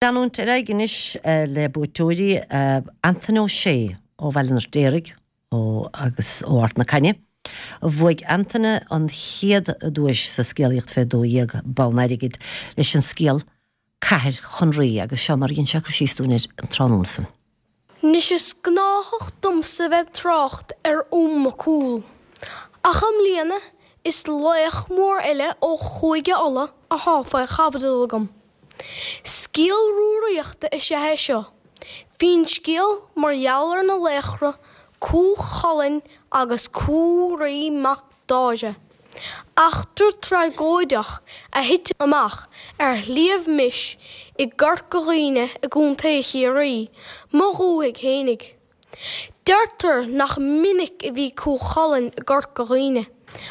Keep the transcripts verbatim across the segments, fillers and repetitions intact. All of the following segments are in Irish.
Leanúint ar aghaidh anois le buaiteoirí Anthony O'Shea ó Bhaile an Fheirtéaraigh ó agus ó Ard na Cainne. Bhuaigh Anthony an chéad duais sa scéalaíocht fé dó dhéag bonn airgid leis an scéal Cathair Chonraí agus seo mar a dhein sé cur síos dúinn air an tráthnóna san. Anois is gnáthach domsa bheith trácht ar Fhionn Mac Cumhaill. Ach i mbliana is laoch mór eile ó Chúige Uladh athá faoi chaibidil agam. Scéal Rúraíochta is ea é seo, finscéal mar gheall ar na laochra Cú Chulainn agus Cú Roí mac Dáise. Eachtra tragóideach a thit amach ar Shliabh Mis i gCorca Dhuibhne i gContae Chiarraí, mo dhúthaigh fhéinig. Deirtear nach minic a bhí Cú Chulainn i gCorca Dhuibhne,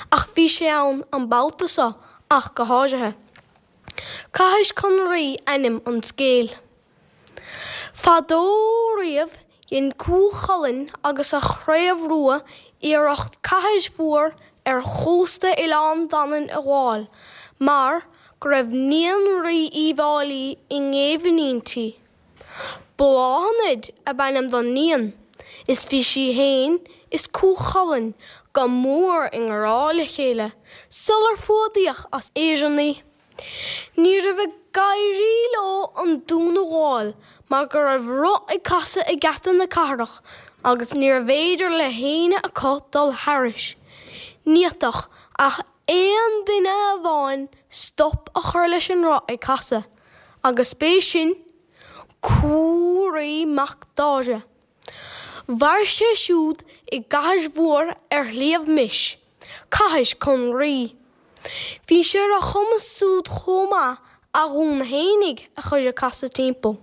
ach bhí sé ann an babhta seo ach go háirithe. Cathais Chonraí ainm an scéil. Fadó riamh dhein Cú Chulainn agus a chraobh rua iarracht cathais mhór ar chósta Oileán Mhanann a ghabháil mar go raibh níon Rí Uíbh Fháilí i ngéibheann inti. Bláthnaid ab ainm don níon is bhí sí fhéin is Cú Chulainn go mór i ngrá le chéile sular fuadaíodh as Éirinn í. Ní raibh ag éirí leo an dún a ghabháil mar go raibh roth ag casadh ag geata na cathrach agus níorbh fhéidir le héinne acu dul thairis. Ní fhéadfadh ach aon duine amháin stop a chur leis an roth ag casadh, agus b'é sin Cú Roí mac Dáise. Mhair sé siúd i gcathais mhór ar Shliabh Mis, Cathais Chonraí. Bhí sé ar a chumas súd chomh maith a dhún fhéinig a chur ag casadh timpeall.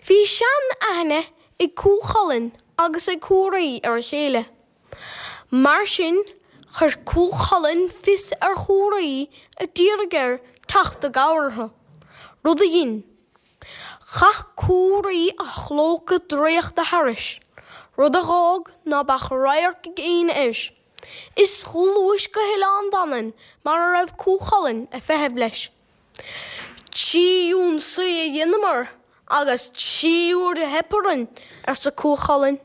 Bhí sean-aithne ag Cú Chulainn agus ag Cú Roí ar a chéile. Mar sin, chuir Cú Chulainn fios ar Chú Roí a d'iarraidh air teacht i gcabhair orthu, rud a dhein. Chaith Cú Roí a chlóca draíochta thairis, rud a dh'fhág ná beadh radharc ag éinne air. Is ghluais go hOileán Mhanann mar a raibh Cú Chulainn ag feitheamh leis. Trí ionsaí a dheineamar agus trí huaire a theip orainn, arsa Cú Chulainn.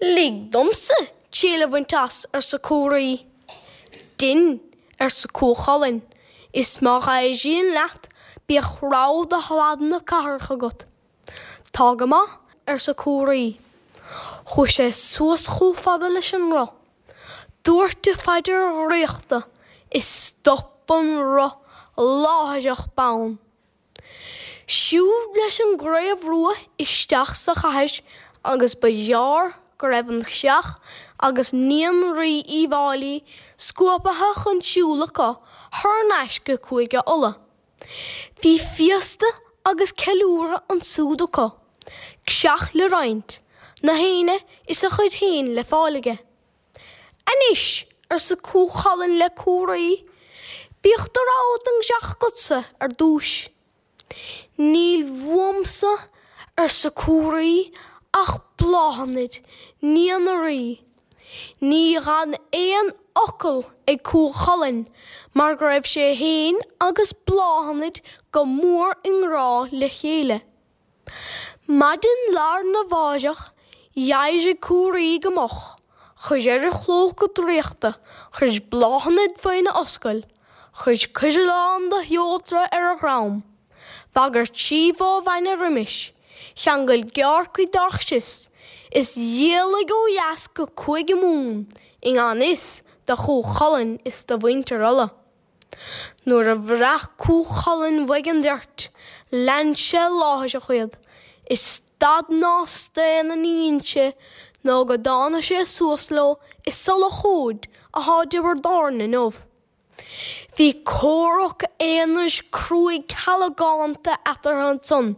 Lig domsa triail a bhaint as, arsa Cú Roí. Dein, arsa Cú Chulainn, is má éiríonn leat bíodh rogha de shlad na cathrach agat. Tá go maith, arsa Cú Roí. Chuaigh sé suas chomh fada leis an roth. Dúirt a phaidir dhraíochta is stop an roth láithreach bonn. Siúd leis an gcraobh rua isteach sa chathair agus ba ghearr go raibh an creach agus níon Rí Uíbh Fháilí scuabtha chun siúil acu thar n-ais go Cúige Uladh. Bhí féasta agus ceiliúradh ansúd acu, creach le roinnt, na héinne is a chuid féin le fáil aige. Anois, arsa Cú Chulainn le Cú Roí, bíodh do rogha den gcreach agatsa ar dtúis. Níl uaimse, arsa Cú Roí, ach Bláthnaid, níon an Rí. Ní dh'fhan aon fhocal ag Cú Chulainn mar go raibh sé fhéin agus Bláthnaid go mór i ngrá le chéile. Maidin lá arna mháireach, d'éirigh Cú Roí go moch, chuir air a chlóca draíochta, chuir Bláthnaid faoina ascaill, chuir coireallán de sheodra ar a dhrom, bhagair trí bhó bhainne roimis, cheangail geárrcuid dá chrios, is d'éalaigh ó dheas go Cúige Mumhan i ngan fhios do Chú Chulainn is do mhuintir Uladh. Nuair a bhraith Cú Chulainn uaidh an bheirt, lean sé láithreach iad, is stad ná staon ní dhein sé nó go dtána sé suas leo i Sulach Fhóid athá i dTiobraid Árann inniu. Bhí comhrac aonrais cruaidh calagánta eatarthu ansan.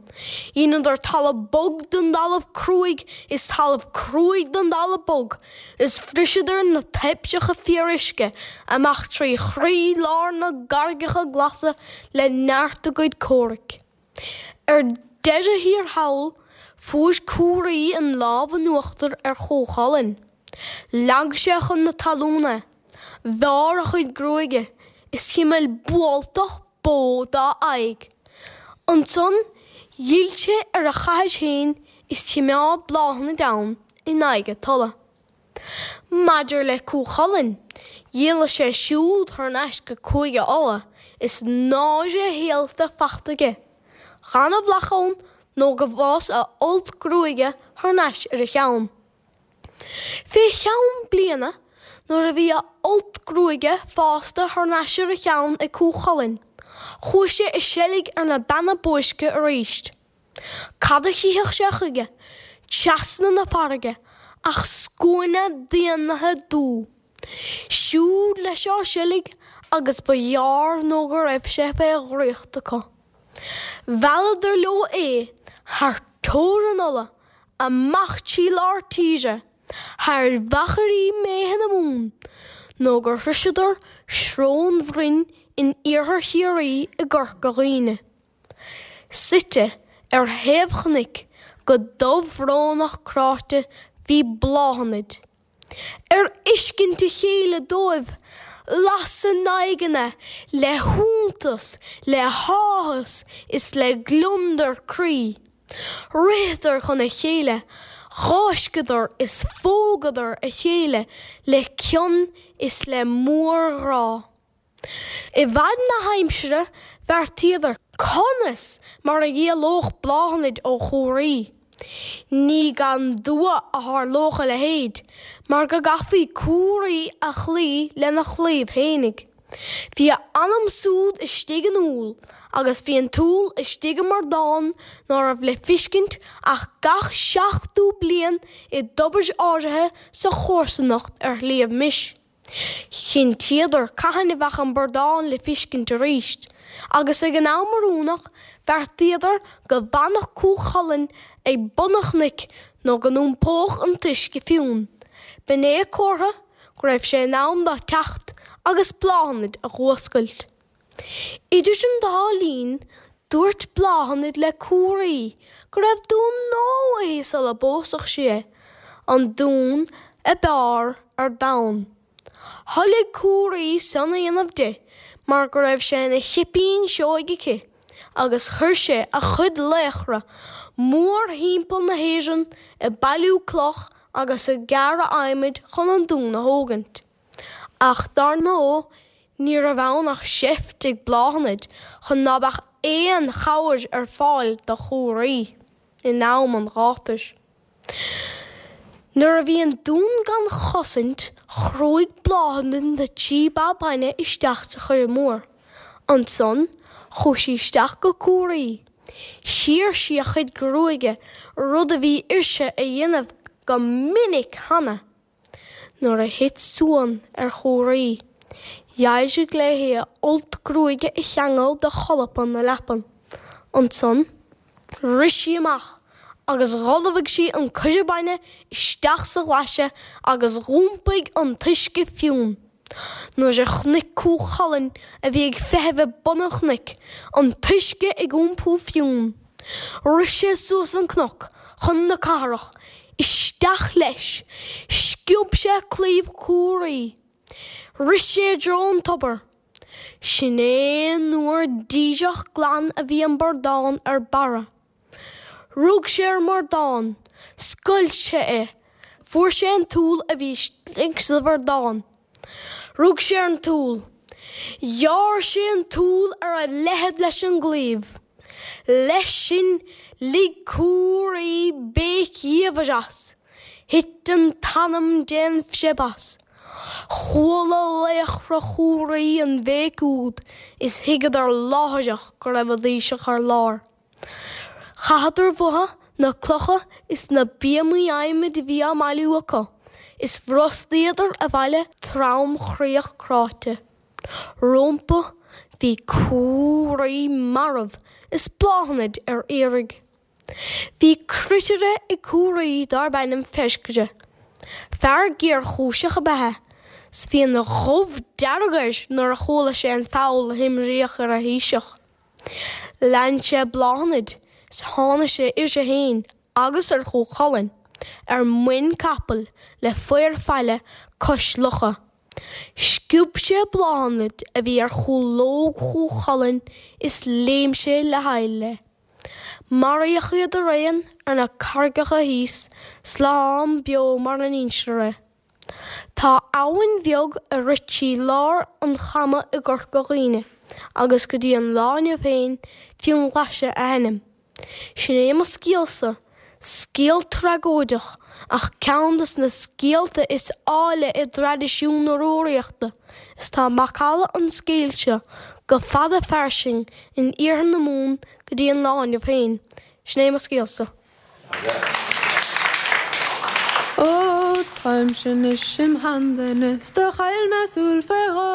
Dheineadar talamh bog den dtalamh cruaidh is talamh cruaidh den dtalamh bog, is bhriseadar na taibhseacha fíoruisce amach trí chroí lár na gcarraigeacha glasa le neart a gcuid comhraic. Ar deireadh thiar thall, fuair Cú Roí an lámh in uachtar ar Chú Chulainn. Leag sé chun na talún é, bhearr a chuid gruaige is chimil bualtach bó dá aghaidh. Ansan D'fhill sé ar a chathaoir féin is choimeád Bláthnaid ann in aghaidh a tola. Maidir le Cú Chulainn, d'éalaigh sé siúd thar n-ais go Cúige Uladh is náire shaolta fachta aige, gan a bhealach ann nó go bhfás a fholt gruaige thar n-ais ar a cheann. Fé cheann bliana, nuair a bhí a fholt gruaige fásta thar n-ais ar a cheann ag Cú Chulainn, chuaigh sé i seilg ar na beanna boisce arís. Cad a chífeadh sé chuige, trasna na farraige, ach scuaine daonnaithe dubh. Siúd leis á seilg agus ba ghearr nó go raibh sé fé dhraíocht acu. Mhealladar leo é thar teorainn Uladh, amach trí lár tíre, thar mhachairí méithe na Mumhan, nó gur shroiseadar Srón Bhroin in iarthar Chiarraí i gCorca Dhuibhne. Suite ar thaobh chnoic go dubh-bhrónach cráite bhí Bláthnaid. Ar fheiscint a chéile dóibh, las a n-aghaidheanna le hiontas, le háthas is le gliondar croí. Ritheadar chun a chéile, fháisceadar is phógadar a chéile le cion is le mórghrá. I bhfad na haimsire bheartaíodar conas mar a d'éalódh Bláthnaid ó Chú Raoi. Ní gan dua a tharlódh a leithéid, mar go gcaithfí Cú Raoi a chloí lena chlaíomh fhéinig. Bhí a anam súd istigh in úll agus bhí an t-úll istigh i mbradán ná raibh le feiscint ach gach seachtó bliain i dtobar áirithe sa chomharsanacht ar Shliabh Mis. Chinntíodar cathain a bheadh an bradán le feiscint arís, agus ag an am oiriúnach bheartaíodar go bhfanfadh Cú Chulainn ag bun an chnoic nó go n-iompódh an t-uisce fionn. B'in é comhartha go raibh sé in am dó teacht agus Bláthnaid a dh'fhuascailt. Idir an dá linn, dúirt Bláthnaid le Cú Raoi go raibh dún nua uaithi sula bpósfadh sí é, an dún ab fhearr ar domhan. Thoiligh Cú Raoi san a dhéanamh di mar go raibh sé ina chipín sióg aici agus chuir sé a chuid laochra mórthimpeall na hÉireann ag bailiú cloch agus ag gearradh adhmaid chun an dún a thógaint. Ach dar ndóigh ní raibh ann ach seift ag Bláthnaid chun ná beadh aon chabhair ar fáil do Chú Raoi in am an ghátair. Nuair a bhí an dún gan chosaint, chrúigh Bláthnaid na trí ba bainne isteach sa choire mór. Ansan, chuaigh sí isteach go Cú Raoi. Chíor sí a chuid gruaige, rud a bhí uirthi a dhéanamh go minic cheana. Nuair a thit suan ar Chú Raoi, d'éirigh léi a fholt gruaige a cheangal de cholpa na leapan. Ansan, rith sí amach agus dh'ullmhaigh sí an coire bainne isteach sa ghlaise agus dh'iompaigh an t-uisce fionn. Nuair a chonaic Cú Chulainn, a bhí ag feitheamh ag bun an chnoic, an t-uisce ag iompú fionn, rith sé suas an cnoc chun na cathrach, isteach leis, sciob sé claíomh Chú Raoi. Rith sé i dtreo an tobair. Sin é an uair díreach glan a bhí an bradán ar barra. Rug sé ar an mbradán, scoilt sé é, fuair sé an t-úll a bhí istigh sa bhradán. Rug sé ar an t-úll. Ghearr sé an t-úll ar a leithead leis an gclaíomh. Leis sin lig Cú Raoi béic dhiamhair as. Thit an t-anam dén phreib as. Chuala laochra Chú Raoi an bhéic úd is thuigeadar láithreach go raibh a dtaoiseach ar lár. Chaitheadar uathu na clocha is na bíomaí adhmaid a bhí á mbailiú acu, is bhrostaíodar abhaile tromchroíoch cráite. Rompu bhí Cú Raoi marbh is Bláthnaid ar iarraidh. Bhí cruitire ag Cú Raoi darb ainm Feiscre. Fear géarchúiseach ab ea é, 's bhí an ghoimh dearg air nuair a chuala sé an feall a himríodh ar a thaoiseach. Lean sé Bláthnaid 's tháinig sé uirthi fhéin agus ar Chú Chulainn ar muin capaill le féar faille cois locha. Sciob sé Bláthnaid a bhí ar chúlóg Chú Chulainn is léim sé le haill léi. Maraíodh iad araon ar na carraigeacha thíos, slán beo mar a n-instear é. Tá abhainn bheag a rith trí lár an Chama i gCorca Dhuibhne agus go dtí an lá inniu féin Fionnghlaise a hainm. Sin é mo scéalsa, scéal tragóideach ach ceann de na scéalta is áille i dtraidisiún na Rúraíochta is tá macalla an scéil seo go fada fairsing in iarthar na Mumhan go dtí an lá inniu féin. Sin é mo scéalsa. Ó táimse anois im sheanduine 's do chaill mé súil fé dhó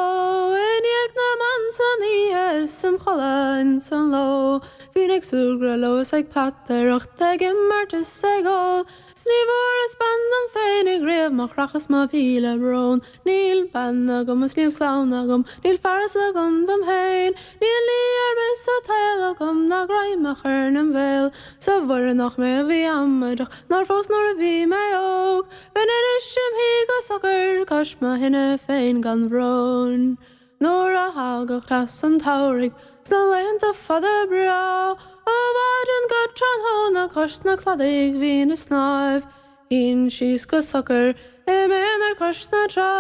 I ndiaidh na mban san oíche is im chodladh ins an ló Bhínn ag súgradh leo is ag peataireacht ag imirt is ag ól 'S ní bhfuaireas bean dom féinig riamh má chreachas mo mhíle brón Níl bean agam is níl clann agam níl fearas agam dom féin Níl ní ar bith sa tsaol agam ná greim a chur 'nem bhéal 'S a Mhuire nach mé a bhí amaideach nár phós nuair a bhí mé óg Bheinn anois im shuí go socair cois mo thine féin gan bhrón. Nuair a thagadh teas an tsamhraidh sna laethanta fada breá Ó mhaidin go tráthnóna cois na cladaigh bhínn ag snámh Shuínn síos go socair i m'aonar cois na trá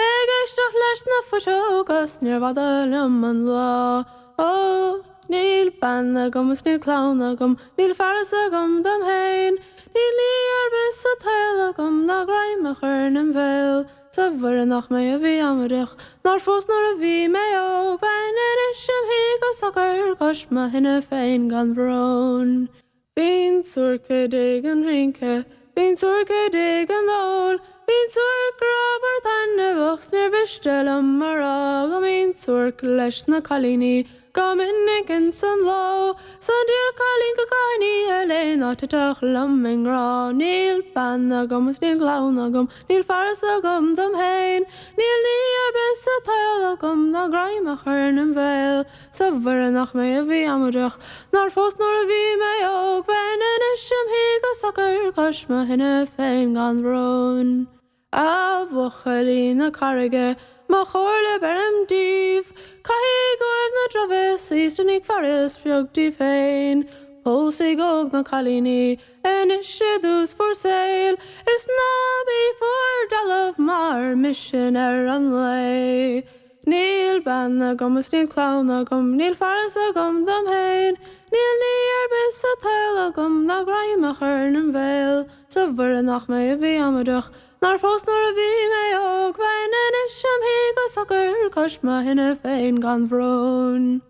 Ag éisteacht leis na fuiseoga 's níorbh fhada liom an lá Ó níl bean agam is níl clann agam níl fearas agam dom féin Níl ní ar bith sa tsaol agam ná greim a chur 'nem bhéal 'S a Mhuire nach mé a bhí amaideach nár phós nuair a bhí mé óg Bheinn anois im shuí go socair cois mo thine féin gan bhrón. Bíonn suairc i dtigh an rince, bíonn suairc i dtigh an óil, Bíonn suairc grámhar taitneamhach 's níor mhiste liom a rá Go mbíonn suairc leis na cailíní Go minic ins an ló 's an d'iarr cailín go gcaithfinn oíche léi ná titfeadh liom i ngrá. Níl bean agam is níl clann agam, níl fearas agam dom féin, Níl ní ar bith sa tsaol agam ná greim a chur 'nem bhéal. 'S a Mhuire nach mé a bhí amaideach nár phós nuair a bhí mé óg, Bheinn anois im shuí go socair cois mo thine féin gan bhrón. A bhuachaillí na Carraige, mo chomhairle beirim daoibh, Caithigí uaibh na drochbhéasaí 's déanaigí fearas beag daoibh féin. Pósaigí óg na cailíní anois i dtús bhur saoil, Is ná bíodh bhur dtalamh mar mise i ndeireadh an lae. Níl bean agam is níl clann agam, níl fearas agam dom féin, Níl ní ar bith sa tsaol agam ná greim a chur 'nem bhéal. 'S a Mhuire nach mé a bhí amaideach nár phós nuair a bhí mé óg, Bheinn anois im shuí go socair cois mo thine féin gan bhrón.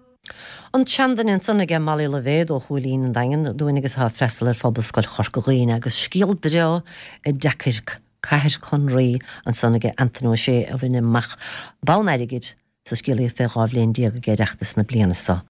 An tSeanduine ansan aige Molly Loibhéad ó Chúilín an Daingin dúinn agus atá ag freastal ar Phobalscoil Chorca Dhuibhne agus scéal breá i dtacair Cathair Chonraí ansan aige Anthony Ó Sé a bhain amach bonn airgid sa scéalaíocht fé dhá bhliain déag ag Oireachtas na bliana seo.